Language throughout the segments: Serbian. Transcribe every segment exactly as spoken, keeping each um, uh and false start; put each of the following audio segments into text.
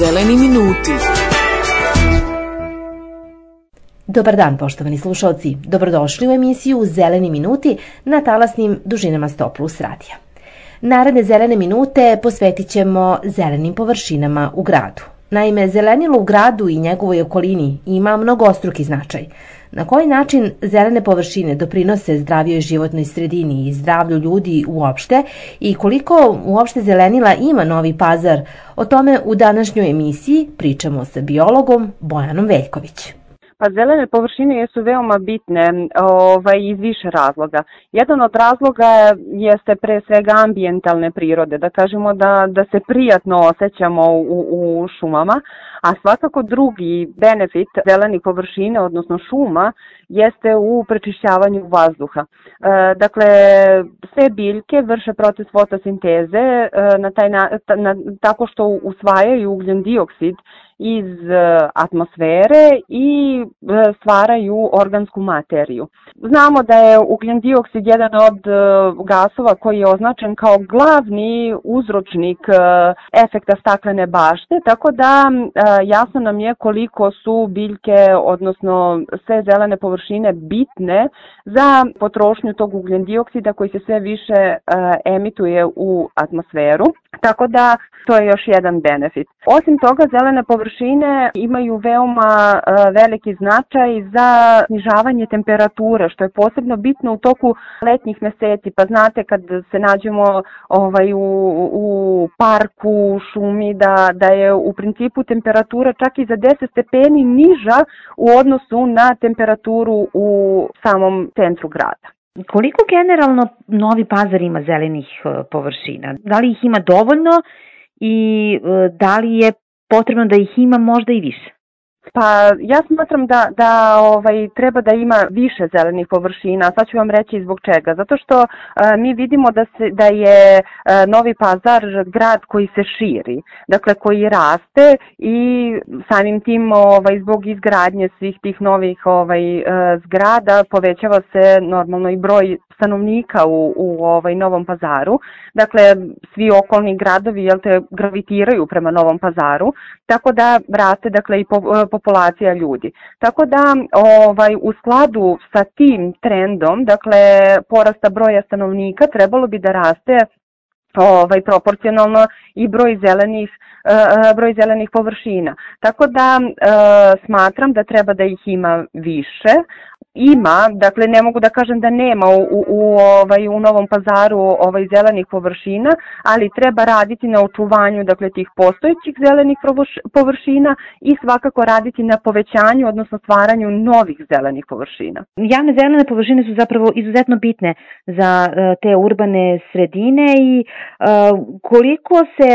Zeleni minuti. Dobar dan, poštovani slušalci. Dobrodošli u emisiju Zeleni minuti na talasnim dužinama sto plus radija. Naredne zelene minute posvetit ćemo zelenim površinama u gradu. Naime, zelenilo u gradu i njegovoj okolini ima mnogostruki značaj. Na koji način zelene površine doprinose zdravijoj životnoj sredini i zdravlju ljudi uopšte i koliko uopšte zelenila ima Novi Pazar, o tome u današnjoj emisiji pričamo sa biologom Bojanom Veljković. Pa zelene površine jesu veoma bitne ovaj, iz više razloga. Jedan od razloga jeste pre svega ambijentalne prirode, da kažemo da, da se prijatno osjećamo u, u šumama, a svakako drugi benefit zelenih površina, odnosno šuma, jeste u prečišćavanju vazduha. E, dakle, sve biljke vrše proces fotosinteze e, na taj na, na, tako što usvajaju ugljen dioksid iz atmosfere i stvaraju organsku materiju. Znamo da je ugljen dioksid jedan od gasova koji je označen kao glavni uzročnik efekta staklene bašte, tako da jasno nam je koliko su biljke, odnosno sve zelene površine bitne za potrošnju tog ugljen dioksida koji se sve više emituje u atmosferu. Tako da to je još jedan benefit. Osim toga, zelene površine imaju veoma veliki značaj za snižavanje temperature, što je posebno bitno u toku letnjih meseci. Pa znate, kad se nađemo ovaj, u, u parku, u šumi, da, da je u principu temperatura čak i za deset stepeni niža u odnosu na temperaturu u samom centru grada. Koliko generalno Novi Pazar ima zelenih površina? Da li ih ima dovoljno i da li je potrebno da ih ima možda i više? Pa ja smatram da, da ovaj, treba da ima više zelenih površina, sad ću vam reći zbog čega. Zato što e, mi vidimo da, se, da je e, Novi Pazar grad koji se širi, dakle koji raste i samim tim ovaj, zbog izgradnje svih tih novih ovaj, e, zgrada povećava se normalno i broj stanovnika u, u ovaj, Novom Pazaru. Dakle, svi okolni gradovi jel te, gravitiraju prema Novom Pazaru, tako da raste dakle, i po, populacija ljudi. Tako da ovaj, u skladu sa tim trendom, dakle porasta broja stanovnika, trebalo bi da raste ovaj, proporcionalno i broj zelenih, uh, broj zelenih površina. Tako da uh, smatram da treba da ih ima više. Ima, dakle ne mogu da kažem da nema u, u, u, ovaj, u Novom Pazaru ovaj, zelenih površina, ali treba raditi na očuvanju dakle, tih postojećih zelenih površina i svakako raditi na povećanju, odnosno stvaranju novih zelenih površina. Javne zelene površine su zapravo izuzetno bitne za uh, te urbane sredine i uh, koliko se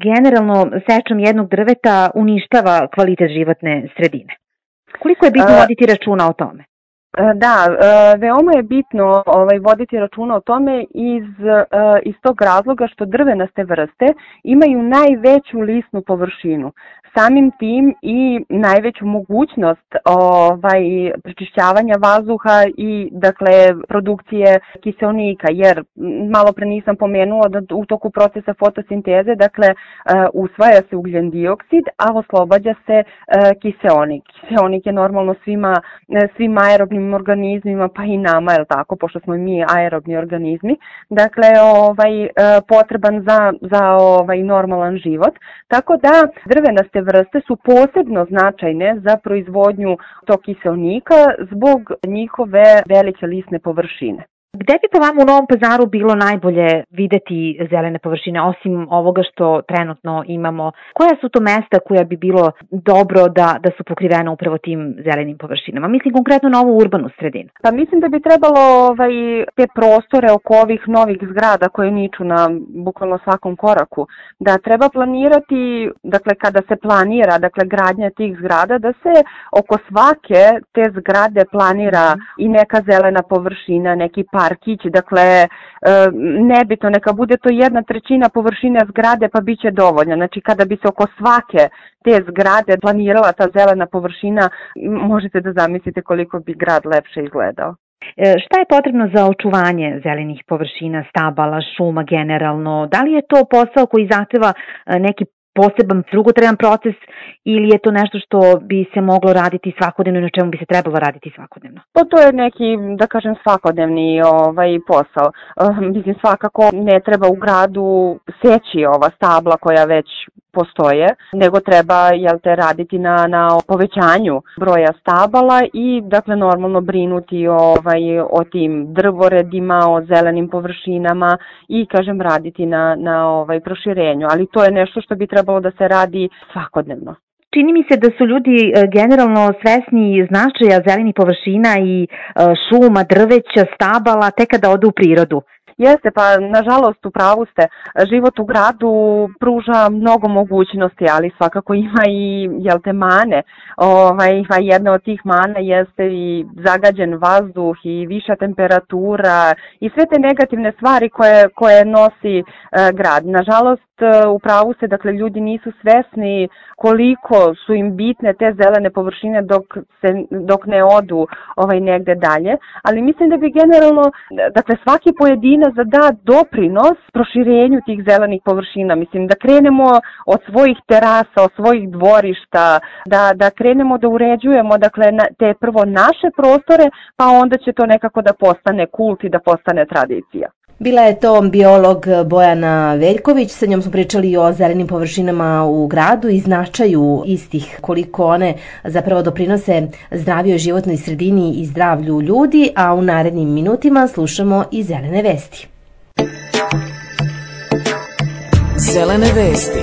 generalno sečom jednog drveta uništava kvalitet životne sredine? Koliko je bitno voditi računa o tome? Da, veoma je bitno ovaj, voditi računa o tome iz, iz tog razloga što drvenaste vrste imaju najveću lisnu površinu. Samim tim i najveću mogućnost ovaj, prečišćavanja vazduha i dakle produkcije kiseonika, jer malo pre nisam pomenula da u toku procesa fotosinteze dakle usvaja se ugljen dioksid, a oslobađa se kiseonik. Kiseonik je normalno svima, svim aerobnim organizmima, pa i nama, je li tako, pošto smo mi aerobni organizmi, dakle ovaj, potreban za, za ovaj, normalan život. Tako da drvenaste vrste su posebno značajne za proizvodnju tog kiseonika zbog njihove velike lisne površine. Gde bi po vama u Novom Pazaru bilo najbolje videti zelene površine, osim ovoga što trenutno imamo? Koja su to mesta koja bi bilo dobro da, da su pokrivena upravo tim zelenim površinama? Mislim konkretno na ovu urbanu sredinu. Pa mislim da bi trebalo ovaj, te prostore oko ovih novih zgrada koje niču na bukvalno svakom koraku, da treba planirati, dakle kada se planira, dakle gradnja tih zgrada, da se oko svake te zgrade planira i neka zelena površina, neki parkić, dakle nebitno, neka bude to jedna trećina površine zgrade pa bit će dovoljno. Znači kada bi se oko svake te zgrade planirala ta zelena površina, možete da zamislite koliko bi grad lepše izgledao. Šta je potrebno za očuvanje zelenih površina, stabala, šuma generalno? Da li je to posao koji zahteva neki poseban drugotreban proces ili je to nešto što bi se moglo raditi svakodnevno i na čemu bi se trebalo raditi svakodnevno? Pa to je neki, da kažem, svakodnevni ovaj, posao. Uh, mislim, svakako ne treba u gradu seći ova stabla koja već postoje, nego treba, jel te, raditi na, na povećanju broja stabala i, dakle, normalno brinuti ovaj, o tim drvoredima, o zelenim površinama i, kažem, raditi na, na ovaj, proširenju. Ali to je nešto što bi trebalo da se radi svakodnevno. Čini mi se da su ljudi generalno svesni značaja zelenih površina i šuma, drveća, stabala tek kada odu u prirodu. Jeste, pa nažalost u pravu ste. Život u gradu pruža mnogo mogućnosti, ali svakako ima i, jel te, mane. Ovaj, jedna od tih mana jeste i zagađen vazduh i viša temperatura i sve te negativne stvari koje, koje nosi e, grad. Nažalost, u pravu ste, dakle, ljudi nisu svesni koliko su im bitne te zelene površine dok, se, dok ne odu ovaj, negde dalje, ali mislim da bi generalno, dakle, svaki pojedinac da da doprinos proširenju tih zelenih površina, mislim da krenemo od svojih terasa, od svojih dvorišta, da, da krenemo da uređujemo, dakle, na, te prvo naše prostore, pa onda će to nekako da postane kult i da postane tradicija. Bila je to biolog Bojana Veljković, sa njom smo pričali o zelenim površinama u gradu i značaju istih, koliko one zapravo doprinose zdravijoj životnoj sredini i zdravlju ljudi, a u narednim minutima slušamo i zelene vesti. Zelene vesti.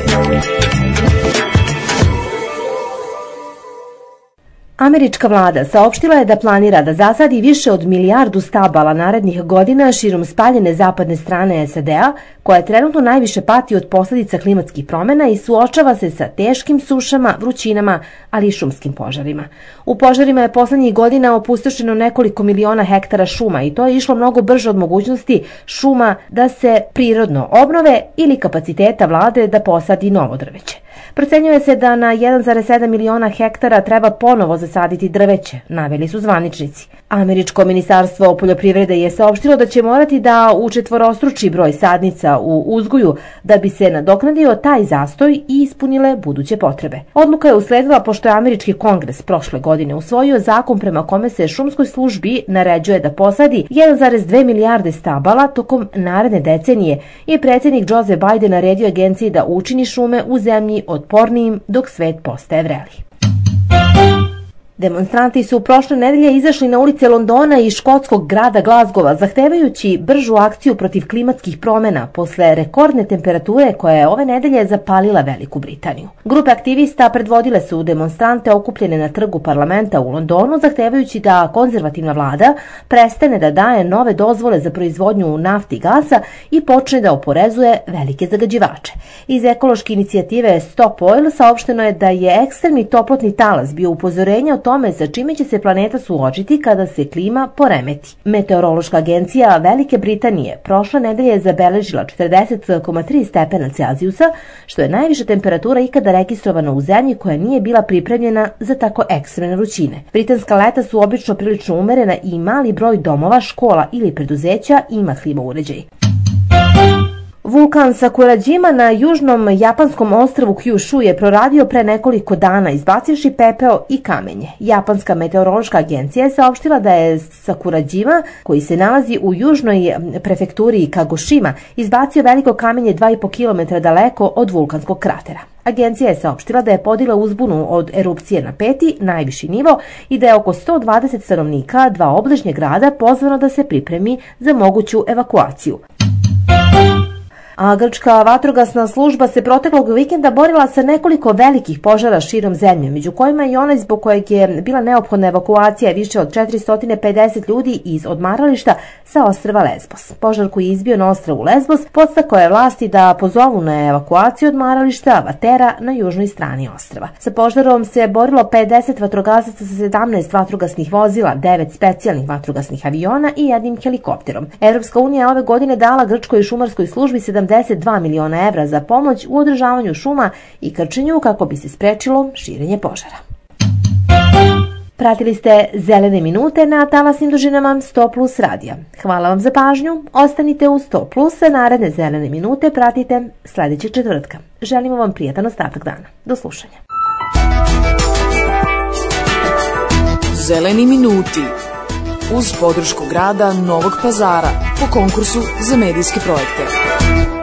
Američka vlada saopštila je da planira da zasadi više od milijardu stabala narednih godina širom spaljene zapadne strane S A D-a, koja trenutno najviše pati od posljedica klimatskih promjena i suočava se sa teškim sušama, vrućinama, ali i šumskim požarima. U požarima je poslednjih godina opustošeno nekoliko miliona hektara šuma i to je išlo mnogo brže od mogućnosti šuma da se prirodno obnove ili kapaciteta vlade da posadi novo drveće. Procenjuje se da na jedan zarez sedam miliona hektara treba ponovo zasaditi drveće, naveli su zvaničnici. Američko ministarstvo poljoprivrede je saopštilo da će morati da učetvorostruči broj sadnica u uzgoju da bi se nadoknadio taj zastoj i ispunile buduće potrebe. Odluka je usledila pošto je Američki kongres prošle godine usvojio zakon prema kome se šumskoj službi naređuje da posadi jedan zarez dve milijarde stabala tokom naredne decenije i predsjednik Joe Biden naredio agenciji da učini šume u zemlji otpornijim dok svet postaje vreli. Demonstranti su prošle nedelje izašli na ulice Londona i škotskog grada Glazgova zahtevajući bržu akciju protiv klimatskih promjena posle rekordne temperature koja je ove nedelje zapalila Veliku Britaniju. Grupe aktivista predvodile su demonstrante okupljene na trgu parlamenta u Londonu zahtevajući da konzervativna vlada prestane da daje nove dozvole za proizvodnju nafte i gasa i počne da oporezuje velike zagađivače. Iz ekološke inicijative Stop Oil saopšteno je da je ekstremni toplotni talas bio upozorenje o tome sa čime će se planeta suočiti kada se klima poremeti. Meteorološka agencija Velike Britanije prošle nedelje je zabeležila četrdeset zarez tri stepena Celzijusa, što je najviša temperatura ikada registrovana u zemlji koja nije bila pripremljena za tako ekstremne vrućine. Britanska leta su obično prilično umerena i mali broj domova, škola ili preduzeća ima klima uređaj. Vulkan Sakurajima na južnom japanskom ostrvu Kyushu je proradio pre nekoliko dana izbacivši pepeo i kamenje. Japanska meteorološka agencija je saopštila da je Sakurajima, koji se nalazi u južnoj prefekturi Kagoshima, izbacio veliko kamenje dva i po kilometra daleko od vulkanskog kratera. Agencija je saopštila da je podigla uzbunu od erupcije na peti, najviši nivo, i da je oko sto dvadeset stanovnika dva obližnje grada pozvano da se pripremi za moguću evakuaciju. A grčka vatrogasna služba se proteklog vikenda borila sa nekoliko velikih požara širom zemlje, među kojima i onaj zbog kojeg je bila neophodna evakuacija više od četiristo pedeset ljudi iz odmarališta sa ostrva Lesbos. Požar koji je izbio na ostrvu Lesbos podstakao je vlasti da pozovu na evakuaciju odmarališta Vatera na južnoj strani ostrva. Sa požarom se borilo pedeset vatrogasaca sa sedamnaest vatrogasnih vozila, devet specijalnih vatrogasnih aviona i jednim helikopterom. Evropska unija je ove godine dala grčkoj šumarskoj službi sedamdeset dva miliona evra za pomoć u održavanju šuma i krčenju kako bi se sprečilo širenje požara. Pratili ste Zelene minute na talasnim dužinama sto plus radija. Hvala vam za pažnju, ostanite u sto plus, a naredne Zelene minute pratite sledećeg četvrtka. Želimo vam prijatan ostatak dana. Do slušanja. Zeleni minuti uz podršku grada Novog Pazara po konkursu za medijske projekte.